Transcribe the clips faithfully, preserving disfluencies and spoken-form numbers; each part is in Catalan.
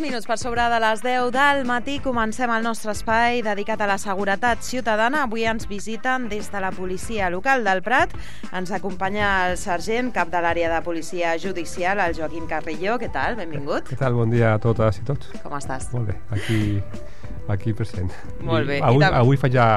minuts per sobre de les deu del matí comencem el nostre espai dedicat a la seguretat ciutadana. Avui ens visiten des de la policia local del Prat. Ens acompanya el sergent, cap de l'àrea de policia judicial, el Joaquim Carrillo. Què tal? Benvingut. Què tal? Bon dia a totes i tots. Com estàs? Molt bé, aquí, aquí present. Molt bé. I avui, avui faig ja...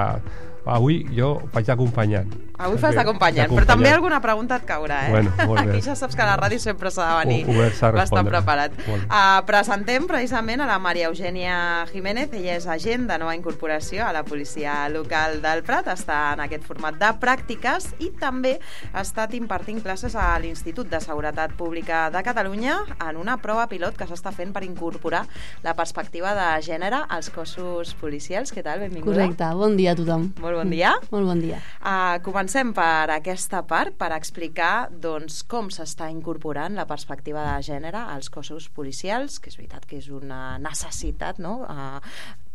Avui jo faig d'acompanyant. Avui fas d'acompanyant, però també alguna pregunta et caurà, eh? Bueno, molt bé. Aquí ja saps que a la ràdio sempre s'ha de venir bastant preparat. Uh, presentem precisament a la Maria Eugènia Jiménez. Ella és agent de nova incorporació a la policia local del Prat. Està en aquest format de pràctiques i també ha estat impartint classes a l'Institut de Seguretat Pública de Catalunya en una prova pilot que s'està fent per incorporar la perspectiva de gènere als cossos policials. Què tal? Benvinguda. Correcte. Bon dia a tothom. Molt bon dia. Molt bon dia. Uh, comencem per aquesta part, per explicar doncs, com s'està incorporant la perspectiva de gènere als cossos policials, que és veritat que és una necessitat, no? Uh,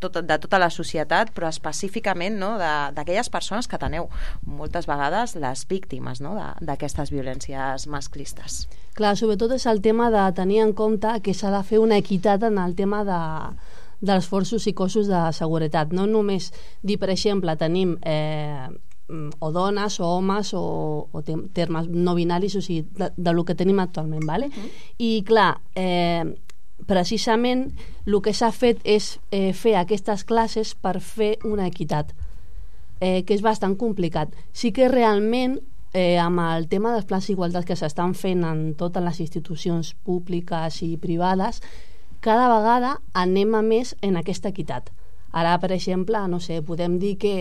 tot, de tota la societat, però específicament, no? d'aquelles persones que teneu moltes vegades les víctimes, no? d'aquestes violències masclistes. Clar, sobretot és el tema de tenir en compte que s'ha de fer una equitat en el tema de dels forços i cossos de seguretat. No només dir, per exemple, tenim eh, o dones o homes o, o termes no binaris, o sigui, de, de lo que tenim actualment, ¿vale? Uh-huh. I clar, eh, precisament el que s'ha fet és eh, fer aquestes classes per fer una equitat, eh, que és bastant complicat. Sí que realment eh, amb el tema dels plans d'igualtat que s'estan fent en totes les institucions públiques i privades, cada vegada anem a més en aquesta equitat. Ara, per exemple, no sé, podem dir que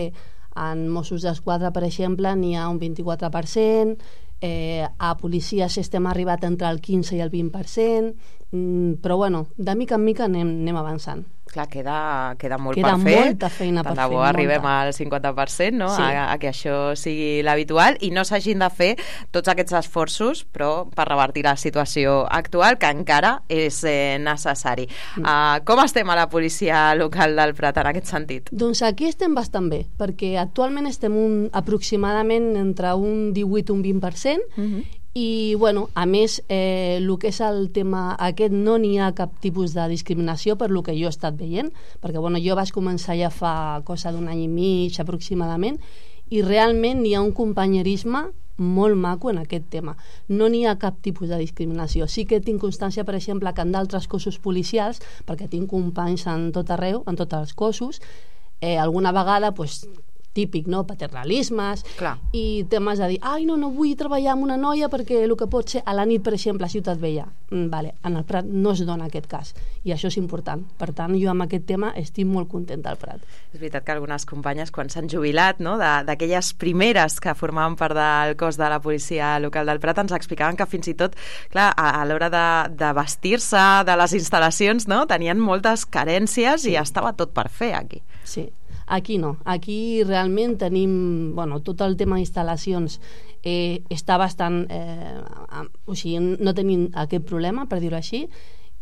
en Mossos d'Esquadra, per exemple, n'hi ha un vint-i-quatre per cent, eh, a policies estem arribat entre el quinze i el vint per cent, mm, però bueno, de mica en mica anem, anem avançant. Clar, queda, queda molt queda per fer. Queda molta feina per fer. Tant de bo arribem al cinquanta per cent, no? Sí. A, a que això sigui l'habitual i no s'hagin de fer tots aquests esforços, però per revertir la situació actual, que encara és eh, necessari. Mm. Uh, com estem a la policia local del Prat en aquest sentit? Doncs aquí estem bastant bé, perquè actualment estem un, aproximadament entre un divuit i un vint per cent, mm-hmm. I, bueno, a més, eh, el que és el tema aquest, no n'hi ha cap tipus de discriminació per lo que jo he estat veient, perquè, bueno, jo vaig començar ja fa cosa d'un any i mig aproximadament, i realment hi ha un companyerisme molt maco en aquest tema. No n'hi ha cap tipus de discriminació. Sí que tinc constància, per exemple, que en d'altres cossos policials, perquè tinc companys en tot arreu, en tots els cossos, eh, alguna vegada, doncs, típic, no? Paternalismes. Clar. I temes de dir, ai, no, no vull treballar amb una noia perquè el que pot ser a la nit, per exemple, a Ciutat Vella. Mm, vale, en el Prat no es dona aquest cas, i això és important. Per tant, jo amb aquest tema estic molt contenta al Prat. És veritat que algunes companyes, quan s'han jubilat, no? d'aquelles primeres que formaven part del cos de la policia local del Prat, ens explicaven que fins i tot, clar, a, a l'hora de, de vestir-se de les instal·lacions, no? tenien moltes carències, sí. I estava tot per fer aquí. Sí. Aquí no, aquí realment tenim, bueno, tot el tema d'instal·lacions eh, està bastant, eh, o sigui, no tenim aquest problema, per dir-ho així,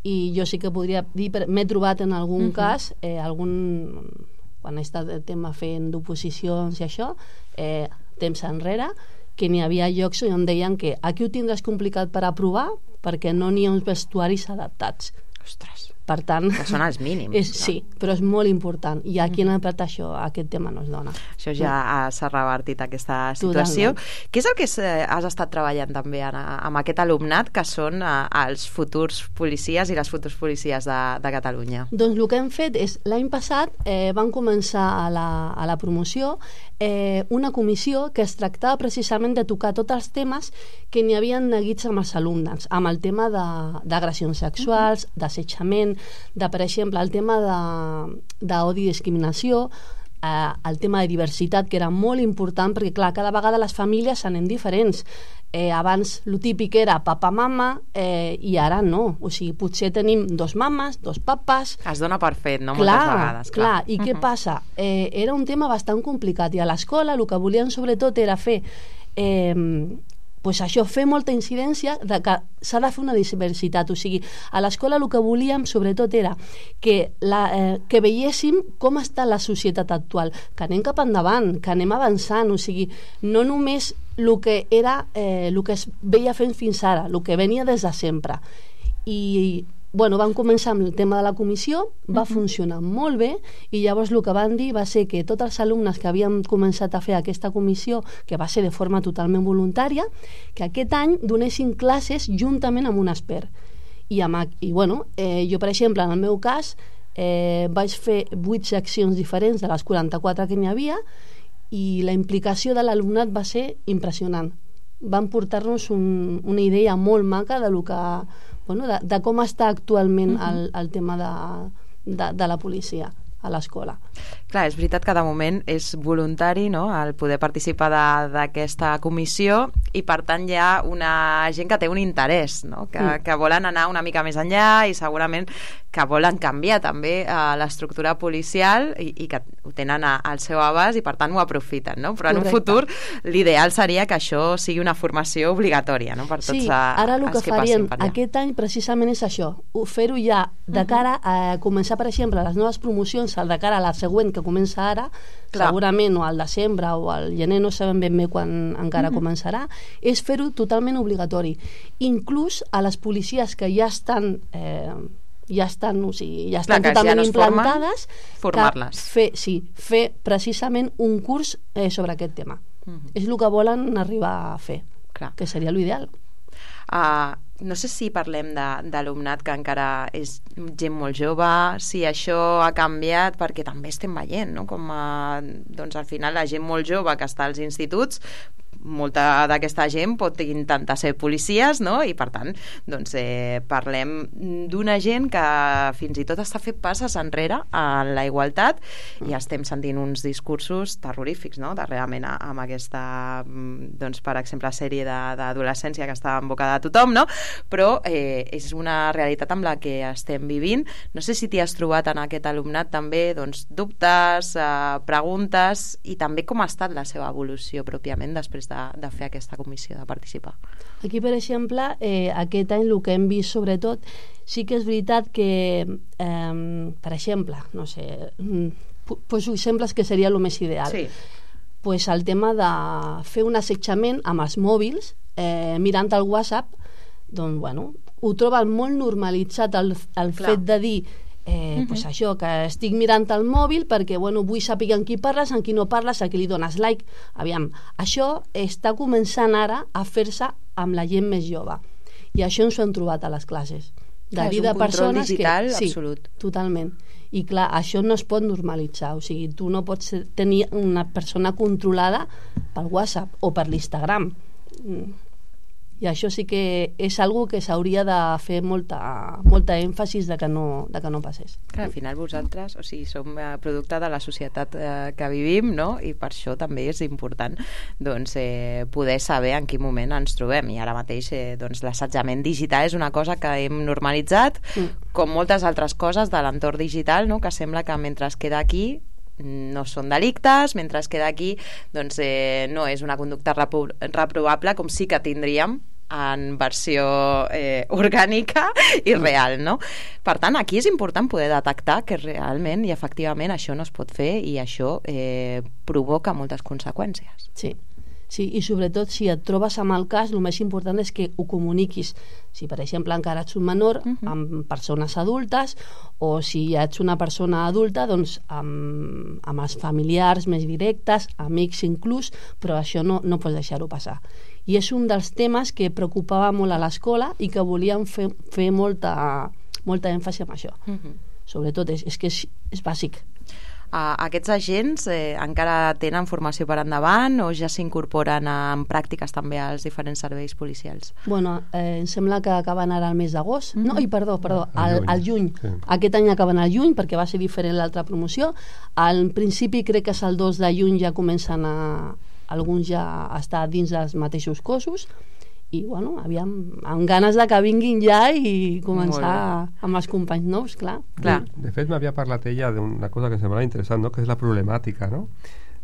i jo sí que podria dir, m'he trobat en algun uh-huh. cas, eh, algun, quan he estat el tema fent d'oposicions i això, eh, temps enrere, que n'hi havia llocs on deien que aquí ho tindràs complicat per aprovar perquè no n'hi ha uns vestuaris adaptats. Ostres. Per tant, que són els mínims. És, sí, però és molt important. I aquí en el Prat això, aquest tema no es dona. Això ja no. s'ha revertit, aquesta situació. Totalment. Què és el que has estat treballant també en, amb aquest alumnat que són els futurs policies i les futurs policies de, de Catalunya? Doncs el que hem fet és, l'any passat eh, van començar a la, a la promoció eh, una comissió que es tractava precisament de tocar tots els temes que n'hi havien neguits amb els alumnes, amb el tema d'agressions sexuals, uh-huh. d'assetjament, de, per exemple, el tema d'odi i discriminació, eh, el tema de diversitat, que era molt important, perquè, clar, cada vegada les famílies anem diferents. Eh, abans, lo típic era papa-mama, eh, i ara no. O sigui, potser tenim dos mames, dos papes... Es dona per fet, no? Clar, moltes vegades. Clar, clar. I uh-huh. què passa? Eh, era un tema bastant complicat, i a l'escola el que volien sobretot era fer... Eh, pues això, fer molta incidència de que s'ha de fer una diversitat, o sigui, a l'escola el que volíem sobretot era que, la, eh, que veiéssim com està la societat actual, que anem cap endavant, que anem avançant, o sigui, no només el que era, eh, el que es veia fent fins ara, el que venia des de sempre. I bueno, van començar amb el tema de la comissió, va uh-huh. funcionar molt bé, i llavors el que van dir va ser que tots els alumnes que havien començat a fer aquesta comissió, que va ser de forma totalment voluntària, que aquest any donessin classes juntament amb un expert. I, amb, i bueno, eh, jo, per exemple, en el meu cas, eh, vaig fer vuit seccions diferents de les quaranta-quatre que n'hi havia, i la implicació de l'alumnat va ser impressionant. Van portar-nos un, una idea molt maca de, lo que, bueno, de, de com està actualment uh-huh. el, el tema de, de, de la policia a l'escola. Clar, és veritat que de moment és voluntari, no?, el poder participar d'aquesta comissió, i per tant hi ha una gent que té un interès, no?, que, mm. que volen anar una mica més enllà, i segurament que volen canviar també eh, l'estructura policial, i, i que ho tenen a, al seu abast, i per tant ho aprofiten, no? Però en Correcte. Un futur l'ideal seria que això sigui una formació obligatòria, no?, per tots sí, a, ara el que, que faríem per allà. Aquest any precisament és això, fer-ho ja de cara a començar, per exemple, les noves promocions, el de cara a la següent que comença ara, Clar. segurament o al desembre o al gener, no sabem ben bé quan encara uh-huh. començarà, és fer-ho totalment obligatori. Inclús a les policies que ja estan eh, ja estan, o sigui, ja estan Clar, totalment ja no implantades, formar-les. Fer, sí, fer precisament un curs eh, sobre aquest tema. Uh-huh. És el que volen arribar a fer, Clar. que seria l'ideal. Uh, no sé si parlem d'alumnat que encara és gent molt jove, si això ha canviat, perquè també estem veient, no?, com a, doncs al final la gent molt jove que està als instituts, molta d'aquesta gent pot intentar ser policies, no?, i per tant doncs, eh, parlem d'una gent que fins i tot està fent passes enrere en la igualtat, i estem sentint uns discursos terrorífics, no?, darrerament amb aquesta, doncs, per exemple, sèrie d'adolescència que està en boca de tothom, no?, però eh, és una realitat amb la que estem vivint. No sé si t'hi has trobat en aquest alumnat també, doncs, dubtes, eh, preguntes, i també com ha estat la seva evolució pròpiament després de, de fer aquesta comissió, de participar. Aquí, per exemple, eh, aquest any el que hem vist sobretot, sí que és veritat que eh, per exemple, no sé, poso exemples que seria el més ideal. Sí. Pues el tema de fer un assetjament amb els mòbils, eh, mirant el WhatsApp, doncs, bueno, ho troben molt normalitzat el, el fet de dir Eh, uh-huh. pues això, que estic mirant el mòbil perquè, bueno, vull saber amb qui parles, amb qui no parles, a qui li dones like. Aviam, això està començant ara a fer-se amb la gent més jove, i això ens ho hem trobat a les classes de clar, dir de persones digital, que... Sí, absolut. Totalment. I clar, això no es pot normalitzar, o sigui, tu no pots tenir una persona controlada per WhatsApp o per l'Instagram. I això sí que és algo que s'hauria de fer molta, molta èmfasis de que, no, de que no passés. Clar, al final vosaltres, o sigui, som producte de la societat eh, que vivim, no?, i per això també és important, doncs, eh, poder saber en quin moment ens trobem. I ara mateix, eh, doncs, l'assetjament digital és una cosa que hem normalitzat, mm. com moltes altres coses de l'entorn digital, no?, que sembla que mentre es queda aquí no són delictes, mentre es queda aquí doncs eh, no és una conducta repro reprovable, com sí que tindríem en versió eh, orgànica i real, no? Per tant, aquí és important poder detectar que realment i efectivament això no es pot fer, i això eh, provoca moltes conseqüències. Sí. Sí, i sobretot si et trobes amb el cas, el més important és que ho comuniquis. Si, per exemple, encara ets un menor, uh-huh. amb persones adultes, o si ets una persona adulta, doncs amb, amb els familiars més directes, amics inclús, però això no, no pots deixar-ho passar. I és un dels temes que preocupava molt a l'escola i que volíem fer, fer molta, molta èmfasi en això. Uh-huh. Sobretot, és, és que és, és bàsic. Uh, aquests agents eh, encara tenen formació per endavant o ja s'incorporen en pràctiques també als diferents serveis policials? Bueno, eh, em sembla que acaben ara el mes d'agost. Mm-hmm. No, i perdó, perdó, al, al juny. Sí. Aquest any acaben al juny perquè va ser diferent l'altra promoció. Al principi crec que és el dos de juny ja comencen a alguns ja a estar dins dels mateixos cossos. I, bueno, aviam, amb ganes de que vinguin ja i començar amb els companys nous, clar. clar. De fet, m'havia parlat ella d'una cosa que em semblava interessant, no?, que és la problemàtica, no?,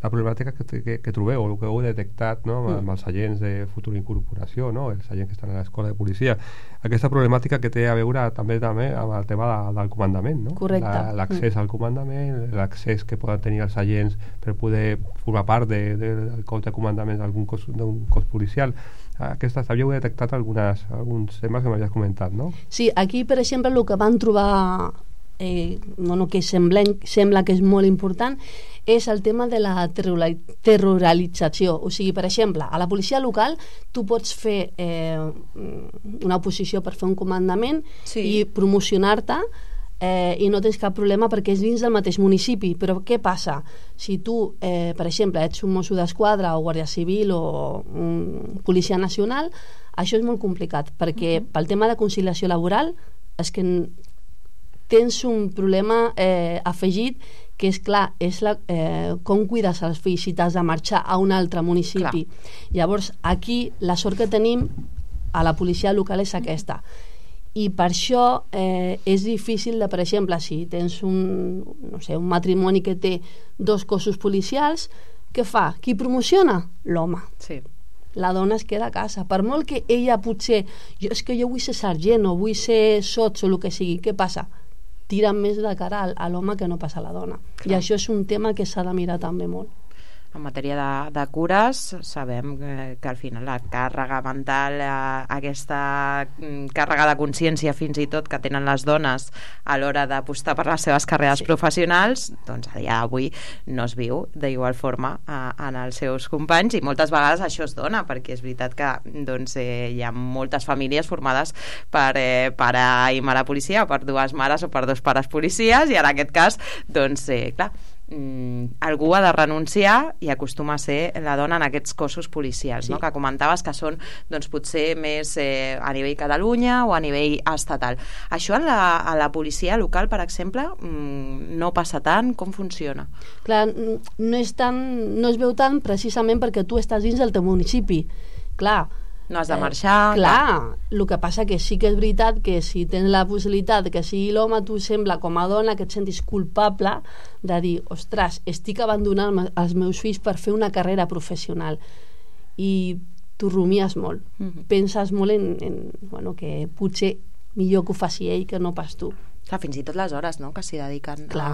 la problemàtica que, que, que trobeu, o el que heu detectat, no? amb, amb els agents de futura incorporació, no? els agents que estan a l'escola de policia, aquesta problemàtica que té a veure també també amb el tema de, del comandament, no? Correcte. L'accés mm. al comandament, l'accés que poden tenir els agents per poder formar part de, de, del cos de comandament d'un cos, cos policial. Aquestes, havíeu detectat algunes, alguns temes que m'havies comentat, no? Sí, aquí, per exemple, el que van trobar eh, bueno, que sembla, sembla que és molt important és el tema de la territorialització. O sigui, per exemple, a la policia local tu pots fer eh, una oposició per fer un comandament sí. i promocionar-te Eh, i no tens cap problema perquè és dins del mateix municipi. Però què passa? Si tu, eh, per exemple, ets un mosso d'esquadra o guàrdia civil o un policia nacional, això és molt complicat perquè uh-huh. pel tema de conciliació laboral és que tens un problema eh, afegit que és clar, és la, eh, com cuides els fills si t'has de marxar a un altre municipi. Clar. Llavors aquí la sort que tenim a la policia local és aquesta. I per això eh, és difícil de, per exemple, si tens un, no sé, un matrimoni que té dos cossos policials, què fa? Qui promociona? L'home. Sí. La dona es queda a casa. Per molt que ella potser, jo, és que jo vull ser sergent o vull ser sots o el que sigui, què passa? Tira més de cara a l'home que no passa a la dona. Clar. I això és un tema que s'ha de mirar també molt. En matèria de, de cures, sabem que, que al final la càrrega mental, eh, aquesta càrrega de consciència fins i tot que tenen les dones a l'hora d'apostar per les seves carreres sí. professionals, doncs a dia d'avui no es viu d'igual forma eh, en els seus companys, i moltes vegades això es dona, perquè és veritat que doncs, eh, hi ha moltes famílies formades per eh, pare i mare policia, per dues mares o per dos pares policies, i en aquest cas, doncs, eh, clar, Mm, algú ha de renunciar i acostuma a ser la dona en aquests cossos policials, sí. no? Que comentaves que són doncs, potser més eh, a nivell Catalunya o a nivell estatal. Això a la, a la policia local, per exemple, mm, no passa tant. Com funciona? Clar, no, és tan, no es veu tant precisament perquè tu estàs dins del teu municipi. Clar, no has de marxar. Eh, clar, el que passa que sí que és veritat que si tens la possibilitat que sigui l'home, tu sembla com a dona que et sentis culpable de dir, ostres, estic abandonant els meus fills per fer una carrera professional, i tu rumies molt. Mm-hmm. Penses molt en, en bueno, que potser millor que ho faci ell que no pas tu. Clar, fins i tot les hores, no?, que s'hi dediquen a,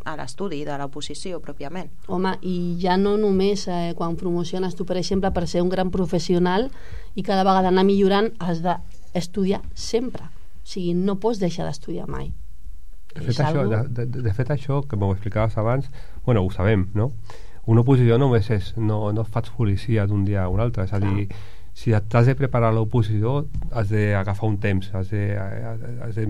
a l'estudi de l'oposició pròpiament. Home, i ja no només eh, quan promociones tu, per exemple, per ser un gran professional i cada vegada anar millorant, has d'estudiar sempre. O sigui, no pots deixar d'estudiar mai. De fet, això, algo... de, de, de fet, això que m'ho explicaves abans, bueno, ho sabem, no? Una oposició només és, no, no fas policia d'un dia a un altre, és a dir, si t'has de preparar l'oposició has d'agafar un temps, has de, has de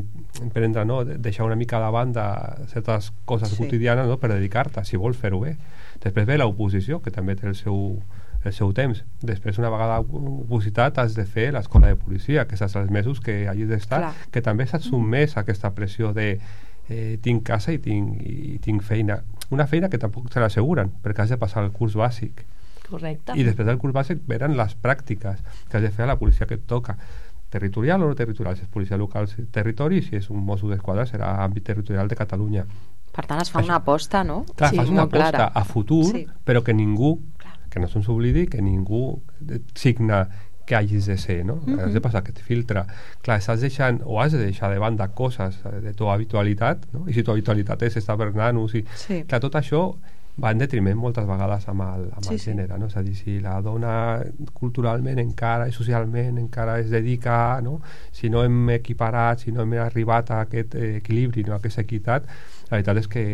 prendre, no? Deixar una mica de banda certes coses sí. quotidianes, no? Per dedicar-te, si vols fer-ho bé. Després ve l'oposició, que també té el seu, el seu temps. Després, una vegada opositat, has de fer l'escola de policia, que saps els mesos que hagis d'estar, Clar. Que també s'ha sotmès a aquesta pressió de eh, tinc casa i tinc, i tinc feina. Una feina que tampoc te l'asseguren, perquè has de passar el curs bàsic. Correcte. I després del curs bàsic venen les pràctiques que has de fer a la policia que et toca, territorial o no territorial. Si és policia local, territori, si és un mosso d'esquadra serà àmbit territorial de Catalunya. Per tant, es fa Això. una aposta, no? Clar, sí, fas una aposta clara. A futur, sí. Però que ningú, Clar. que no se'ns oblidi, que ningú signa que hagis de ser, no? Mm-hmm. Has de passar aquest filtre. Clar, estàs deixant, o has de deixar de banda coses de tu habitualitat, no? I si tu habitualitat és estar per nanos, i... sí. Clar, tot això va en detriment moltes vegades amb el, amb sí, el gènere, no? És a dir, si la dona culturalment encara i socialment encara es dedica, no? Si no hem equiparat, si no hem arribat a aquest eh, equilibri, no? A aquesta equitat, la veritat és que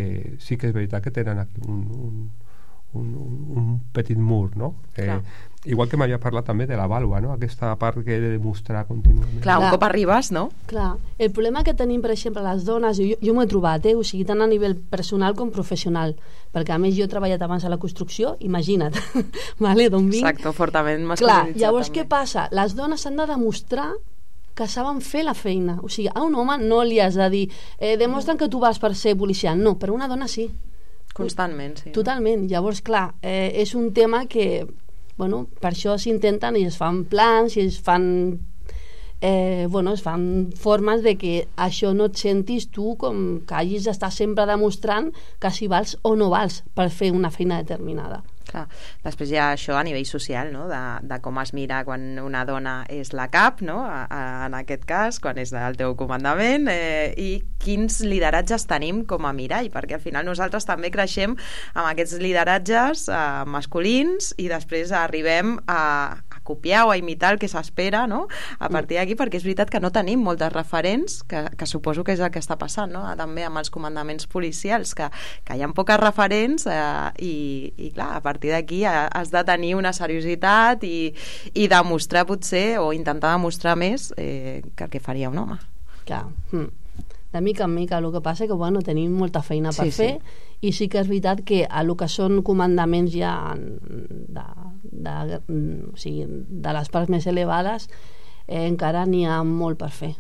sí que és veritat que tenen aquí un, un, un, un petit mur, no? Eh, igual que m'havia parlat també de la vàlua, no? Aquesta part que he de demostrar contínuament. Clar, un cop arribes, no? Clar, el problema que tenim, per exemple, les dones, jo, jo m'ho he trobat, eh? O sigui, tant a nivell personal com professional, perquè a més jo he treballat abans a la construcció, imagina't, vale, d'on vinc. Exacte, fortament masculinitzat. Clar, llavors també. Què passa? Les dones s'han de demostrar que saben fer la feina, o sigui, a un home no li has de dir eh, demostren que tu vas per ser policial, no, però una dona sí. Constantment, sí. Totalment, llavors, clar, eh, és un tema que bueno, per això s'intenten i es fan plans i es fan eh, bueno, es fan formes de que això no et sentis tu com que hagis d'estar sempre demostrant que si vals o no vals per fer una feina determinada. Clar. Després hi ha això a nivell social, no? de, de com es mira quan una dona és la cap, no? a, a, en aquest cas, quan és el teu comandament, eh, i quins lideratges tenim com a mirall, perquè al final nosaltres també creixem amb aquests lideratges eh, masculins i després arribem a, a copiar o a imitar el que s'espera, no? A partir d'aquí, perquè és veritat que no tenim moltes referents, que, que suposo que és el que està passant, no? També amb els comandaments policials, que, que hi ha poques referents eh, i, i clar, a partir d'aquí has de tenir una seriositat i, i demostrar potser, o intentar demostrar més eh, que el que faria un home. Clar, de mica en mica. El que passa és que bueno, tenim molta feina per sí, fer sí. I sí que és veritat que a el que són comandaments ja de, de, o sigui, de les parts més elevades eh, encara n'hi ha molt per fer,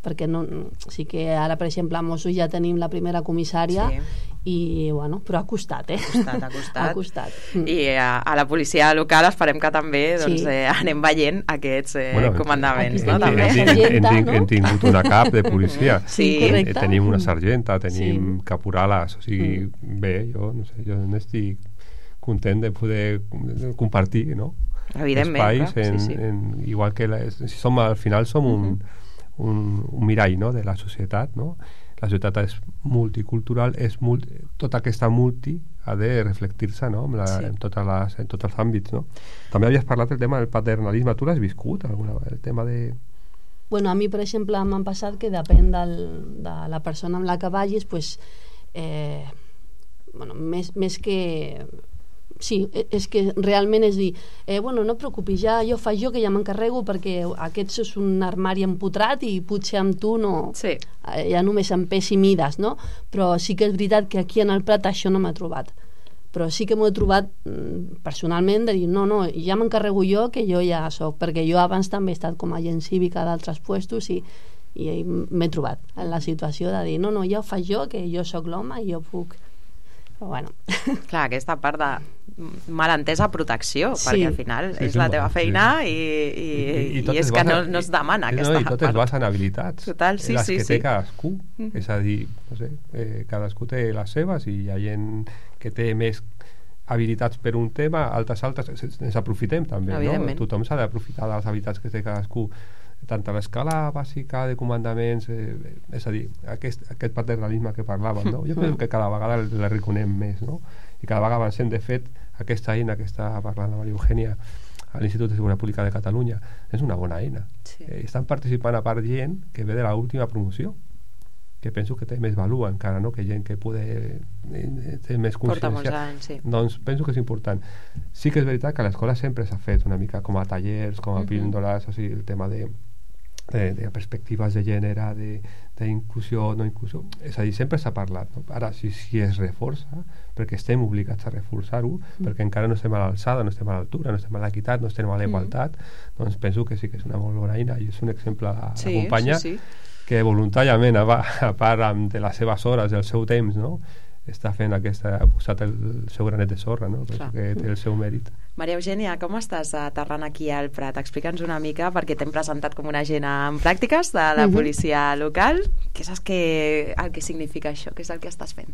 perquè no, sí que ara per exemple a Mossos ja tenim la primera comissària sí. I bueno, però ha costat, eh? Ha costat, ha costat. Ha costat. I a, a la policia local esperem que també doncs, sí. eh, anem veient aquests eh, bueno, comandaments, no? En, també. En, en, en, en, hem tingut una cap de policia. Sí, correcte. Tenim una sargenta, tenim sí. caporales, o sigui, mm. bé, jo no sé, jo n'estic content de poder compartir, no? Evidentment, espais, clar. En, sí, sí. En, igual que la, si som, al final som un, mm-hmm. un, un mirall, no?, de la societat, no? La societat és multicultural, és multi, tota aquesta multi ha de reflectir-se, no? en, la, sí. en, totes les, en tots els àmbits, no? També havies parlat del tema del paternalisme, tu l'has viscut alguna vegada, el tema de... Bueno, a mi per exemple m'han passat que depèn del, de la persona amb la que vagis, pues, eh, bueno, més, més que sí, és que realment és dir eh, bueno, no et preocupis, ja jo faig jo que ja m'encarrego perquè aquest és un armari empotrat i potser amb tu no sí. eh, ja només em pesi mides, no? Però sí que és veritat que aquí en el Prat això no m'ha trobat, però sí que m'ho he trobat personalment de dir no, no, ja m'encarrego jo que jo ja soc, perquè jo abans també he estat com a agent cívica d'altres puestos i, i m'he trobat en la situació de dir no, no, ja ho faig jo, que jo sóc l'home i jo puc. Però bueno. Clar, aquesta part de malentesa protecció, sí. perquè al final sí, és sí, la teva sí. feina i, i, i, i, i és que no, no es demana i, aquesta no, i tot part. es basa en habilitats. Total, sí, les sí, que sí. té cadascú. Mm. És a dir, no sé, eh, cadascú té les seves i hi ha gent que té més habilitats per un tema, altres altres ens aprofitem també, no? Tothom s'ha d'aprofitar de les habilitats que té cadascú, tant a l'escala bàsica de comandaments, eh, és a dir, aquest, aquest paternalisme que parlàvem, no? Jo penso que cada vegada la reconem més, no? I cada vegada avancem. De fet, aquesta eina que està parlant la Maria Eugènia a l'Institut de Seguretat Pública de Catalunya és una bona eina. Sí. Eh, estan participant a part gent que ve de l'última promoció, que penso que té més valor encara, no?, que gent que pode eh, té més consciència. Porta molts anys, sí. Doncs penso que és important. Sí que és veritat que a l'escola sempre s'ha fet una mica com a tallers, com a píndoles, uh-huh. o sigui, el tema de De, de perspectives de gènere, d'inclusió, no inclusió, és a dir, sempre s'ha parlat, no? Ara si, si es reforça, perquè estem obligats a reforçar-ho, mm. perquè encara no estem a l'alçada, no estem a l'altura, no estem a l'equitat, no estem a la igualtat, mm. doncs penso que sí que és una molt bona eina i és un exemple a la, sí, la companya sí, sí. que voluntàriament, a, a part de les seves hores, del seu temps, no?, està fent aquesta, ha posat el, el seu granet de sorra, no? Penso que té el seu mèrit. Maria Eugènia, com estàs aterrant aquí al Prat? Explica'ns una mica, perquè t'hem presentat com una agent en pràctiques de la policia local. Què saps que, el que significa això? Què és el que estàs fent?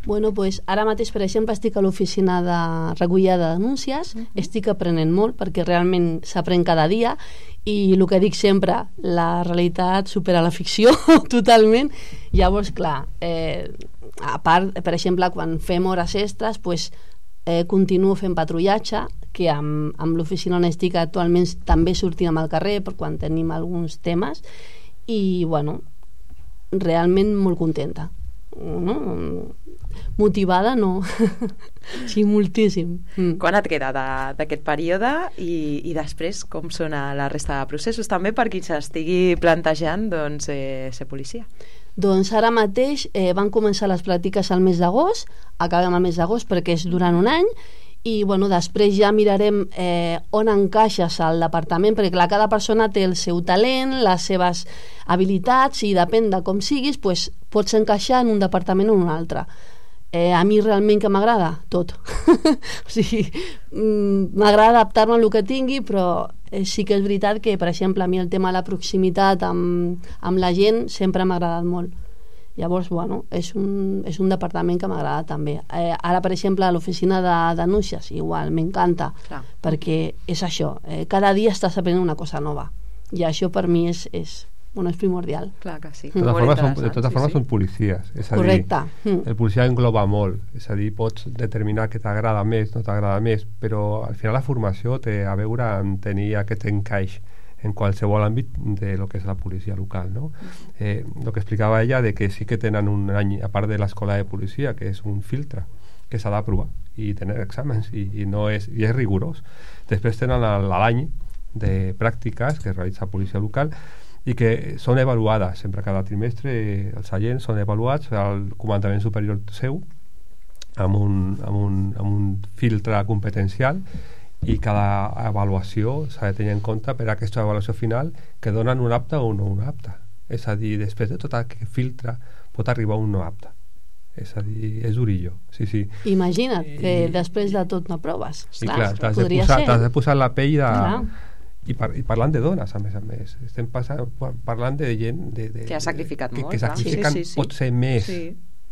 Bueno, pues ara mateix, per exemple, estic a l'oficina de recollida de denúncies, uh-huh. estic aprenent molt perquè realment s'aprèn cada dia i el que dic sempre, la realitat supera la ficció totalment. Llavors, clar, eh, a part, per exemple, quan fem hores extres, pues, eh, continuo fent patrullatge, que amb, amb l'oficina on estic actualment també sortim al carrer per quan tenim alguns temes i, bueno, realment molt contenta. No? Motivada no. Sí, moltíssim. Mm. Quan et queda d'aquest període i, i després com són la resta de processos també per qui s'estigui plantejant doncs, eh, ser policia? Doncs ara mateix eh, van començar les pràctiques al mes d'agost, acabem al mes d'agost perquè és durant un any i bueno, després ja mirarem eh, on encaixes al departament, perquè clar, cada persona té el seu talent, les seves habilitats i depèn de com siguis pues, pots encaixar en un departament o en un altre. Eh, a mi realment que m'agrada? Tot. O sigui, m'agrada adaptar-me al que tingui, però eh, sí que és veritat que, per exemple, a mi el tema de la proximitat amb, amb la gent sempre m'ha agradat molt. Llavors, bueno, és un, és un departament que m'agrada també. Eh, ara, per exemple, a l'oficina de denúncies, igual, m'encanta, perquè és això, eh, cada dia estàs aprenent una cosa nova, i això per mi és, és bueno, és primordial. Clar que sí. De totes formes, són, de totes formes sí, sí. són policies. És a Correcte. Dir, el policia engloba molt. És a dir, pots determinar que t'agrada més, no t'agrada més, però al final la formació té a veure amb tenir aquest encaix en qualsevol àmbit de lo que és la policia local, no? Eh, lo que explicava ella de que sí que tenen un any, a part de l'escola de policia, que és un filtre que s'ha d'aprovar i tenir exàmens, i, i, no és, i és rigorós. Després tenen l'any de pràctiques que realitza policia local i que són avaluades sempre cada trimestre. Els agents són avaluats al comandament superior seu amb un, amb un, amb un filtre competencial, i cada avaluació s'ha de tenir en compte per a aquesta avaluació final que donen un apte o no un apte. És a dir, després de tot aquest filtre pot arribar un no apte. És a dir, és durillo. Sí, sí. Imagina't que I, després de tot no proves. I clar, t'has de, posar, de posar la pell de... Clar. I, par i parlant de dones, a més a més, estem passant, parlant de gent de, de, que ha sacrificat que, molt, que sacrifiquen, sí, sí, sí. pot ser més, sí.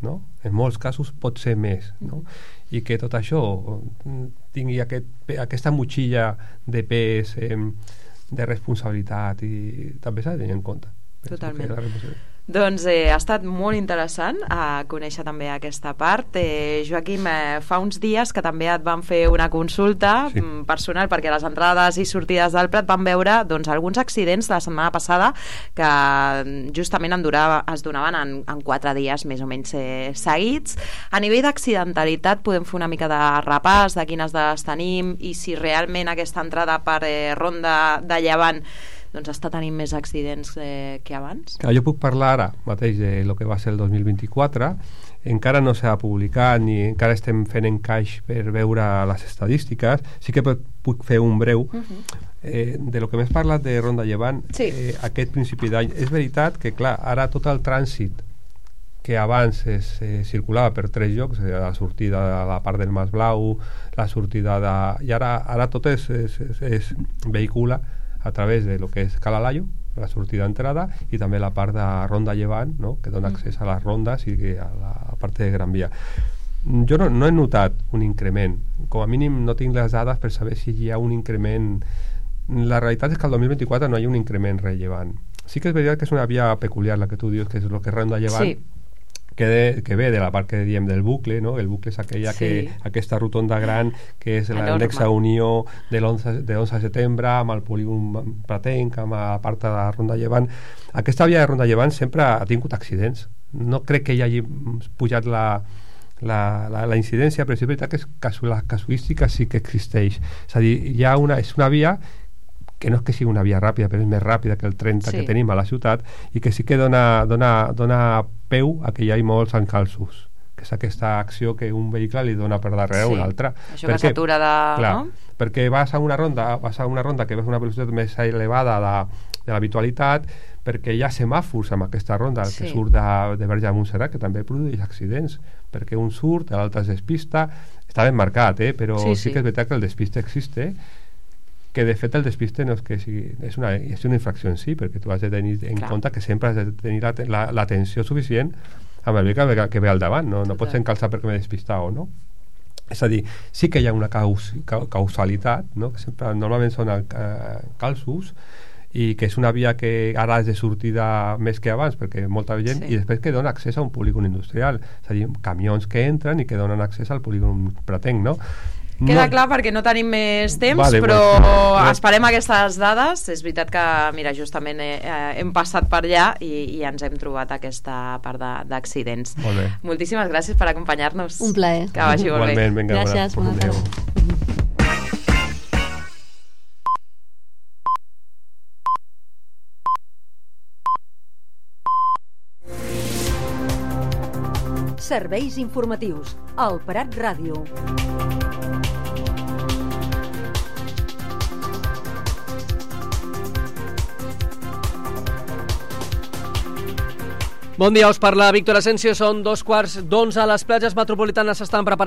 no? En molts casos pot ser més, no? I que tot això tingui aquest, aquesta motxilla de pes, eh, de responsabilitat, i també s'ha de tenir en compte. Totalment. Doncs eh, ha estat molt interessant a conèixer també aquesta part. Eh, Joaquim, eh, fa uns dies que també et van fer una consulta sí. personal, perquè a les entrades i sortides del Prat van veure doncs, alguns accidents la setmana passada que justament en durava, es donaven en, en quatre dies més o menys eh, seguits. A nivell d'accidentalitat podem fer una mica de repàs de quines dades tenim i si realment aquesta entrada per eh, Ronda de Llevant doncs està tenint més accidents eh, que abans? Clar, jo puc parlar ara mateix de lo que va ser el dos mil vint-i-quatre. Encara no s'ha publicat ni encara estem fent encaix per veure les estadístiques. Sí que puc fer un breu uh-huh. eh, de lo que m'has parlat de Ronda Llevant. Sí. eh, aquest principi d'any. És veritat que clar, ara tot el trànsit que abans es eh, circulava per tres llocs, eh, la sortida de la part del Mas Blau, la sortida de... i ara, ara tot es, es, es, es vehicula a través de lo que és Calalayo, la sortida d'entrada, i també la part de Ronda Llevant, no? Que dona accés a les rondes i a la part de Gran Via. Jo no, no he notat un increment. Com a mínim no tinc les dades per saber si hi ha un increment. La realitat és que el dos mil vint-i-quatre no hi ha un increment rellevant. Sí que és veritat que és una via peculiar la que tu dius, que és el que és Ronda Llevant, sí. Que, de, que ve de la part que diem del bucle, no? El bucle és aquella sí. que, aquesta rotonda gran que és l'anexa unió de l'onze de setembre amb el polígon pratenc, amb la part de la Ronda Llevant. Aquesta via de Ronda Llevant sempre ha tingut accidents. No crec que hi hagi pujat la, la, la, la incidència, però és veritat que és casu, la casuística sí que existeix. És a dir, hi ha una, és una via que no és que sigui una via ràpida, però és més ràpida que el trenta sí. que tenim a la ciutat, i que sí que dona, dona, dona peu a que hi hagi molts encalços, que és aquesta acció que un vehicle li dona per darrere sí. un altre. Això perquè, que s'atura de... Clar, no? perquè vas a una ronda, vas a una ronda que ve una velocitat més elevada de, de l'habitualitat, perquè hi ha semàfors amb aquesta ronda, el sí. que surt de, de Verge de Montserrat, que també produeix accidents, perquè un surt, l'altre es despista, està ben marcat, eh? Però sí, sí. sí que és veritat que el despiste existe, que de fet el despiste no és que sigui, és una, és una infracció en si, perquè tu has de tenir en Clar. compte que sempre has de tenir l'atenció la, suficient amb el vehicle que, que ve al davant, no, no pots encalçar perquè m'he despistat o no. És a dir, sí que hi ha una caus, causalitat, no? Que sempre, normalment són uh, calços, i que és una via que ara és de sortida més que abans, perquè molta gent, sí. i després que dona accés a un polígon industrial, és a dir, camions que entren i que donen accés al polígon pratenc, no? Queda no. clar perquè no tenim més temps, vale, però bueno. esperem aquestes dades. És veritat que, mira, justament eh, hem passat per allà i, i ens hem trobat aquesta part d'accidents. Moltíssimes gràcies per acompanyar-nos. Un plaer. Que vagi molt bé. Igualment, vinga, gràcies, bona tarda. Serveis informatius al Prat Ràdio. Bon dia, us parla Víctor Asensio. Són dos quarts d'onze. Les platges metropolitanes s'estan preparant